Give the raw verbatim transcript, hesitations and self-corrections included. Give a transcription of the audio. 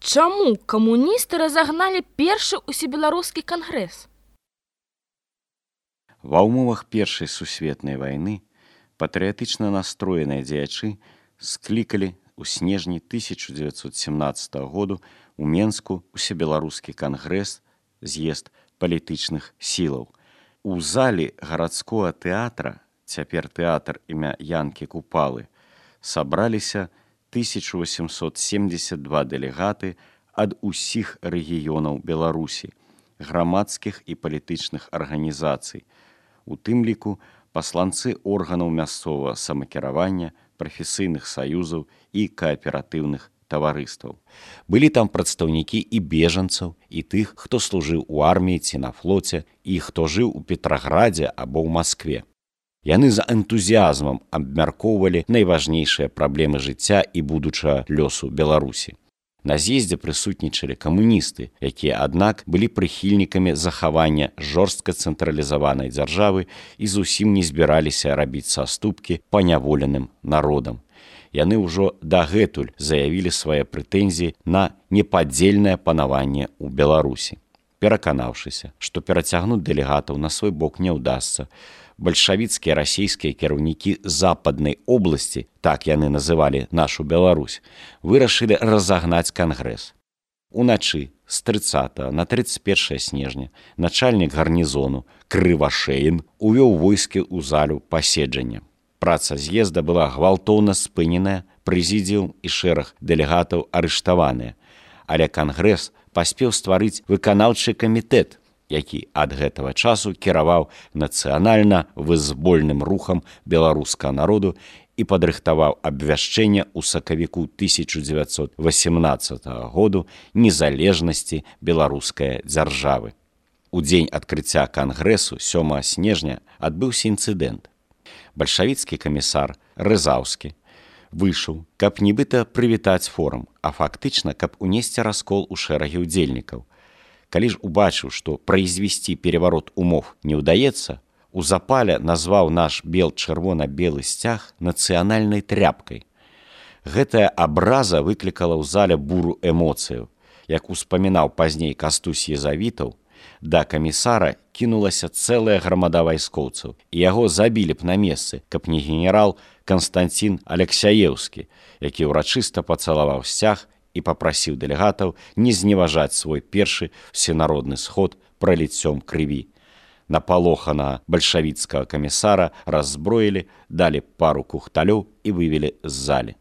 Чаму камуністы разагналі першы усебеларускі кангрэс? Ва ўмовах Першай сусветнай вайны патрыятычна настроеныя дзеячы склікалі ў снежні тысяча дзевяцьсот семнаццатага году ў Менску усебеларускі кангрэс, з'езд палітычных сілаў. У залі гарадскога тэатра, цяпер тэатр імя Янкі Купалы, сабраліся тысяча восемьсот семьдесят два дэлегаты ад усіх рэгіёнаў Беларусі, грамадскіх і палітычных арганізацый, у тым ліку пасланцы органаў мясцовага самакіравання, прафесійных саюзаў і кааператыўных таварыстваў. Былі там прадстаўнікі і бежанцаў, і тых, хто служыў у арміі ці на флоце, і хто жыў у Петраградзе або ў Маскве. Яны за энтузіязмам абмяркоўвалі найважнейшыя праблемы жыцця і будучага лёсу Беларусі. На з'ездзе прысутнічалі камуністы, якія, аднак, былі прыхільнікамі захавання жорстка цэнтралізаванай дзяржавы і зусім не збіраліся рабіць саступкі паняволеным народам. Яны ўжо дагэтуль заявілі свае прэтэнзіі на непадзельнае панаванне ў Беларусі. Пераканаўшыся, што перацягнуць дэлегатаў на свой бок не ўдасца, бальшавіцкія расійскія кіраўнікі западнай обласці, так яны называлі нашу Беларусь, вырашылі разагнаць кангрэс. Уначы з трыццатага на трыццаць першае снежня начальнік гарнізону Крывашеін увёў войскі ў залю паседжання. Праца з'езда была гвалтоўна спыненая, прэзідыум і шэраг дэлегатаў арыштаваныя, але кангрэс паспеў стварыць выканаўчы камітэт, які ад гэтага часу кіраваў нацыянальна-вызвольным рухам беларускага народу і падрыхтаваў абвяшчэнне ў сакавіку тысяча дзевяцьсот восемнаццатага году незалежнасці беларускай дзяржавы. У дзень адкрыцця кангрэсу сёмага снежня адбыўся інцыдэнт. Бальшавіцкі камісар Рызаўскі выйшаў, каб нібыта прывітаць форум, а фактычна, каб унесці раскол у шэрагі ўдзельнікаў. Калі ж убачыў, што прайзвесці пераварот умоў не ўдаецца, у запале назваў наш бел-чырвона-белы сцяг нацыянальнай тряпкай. Гэтая абраза выклікала ў зале буру эмоцыяў. Як успамінаў пазней Кастусь Езавітаў, да камісара кінулася цэлая грамада вайскоўцаў, і яго забілі б на месцы, каб не генерал Канстанцін Алексяеўскі, які ўрачыста пацалаваў сцяг і папрасіў дэлегатаў не зневажаць свой першы всенародны сход праліццём крыві. Напалоханага бальшавіцкага камісара раззброілі, далі пару кухталёў і вывелі з залі.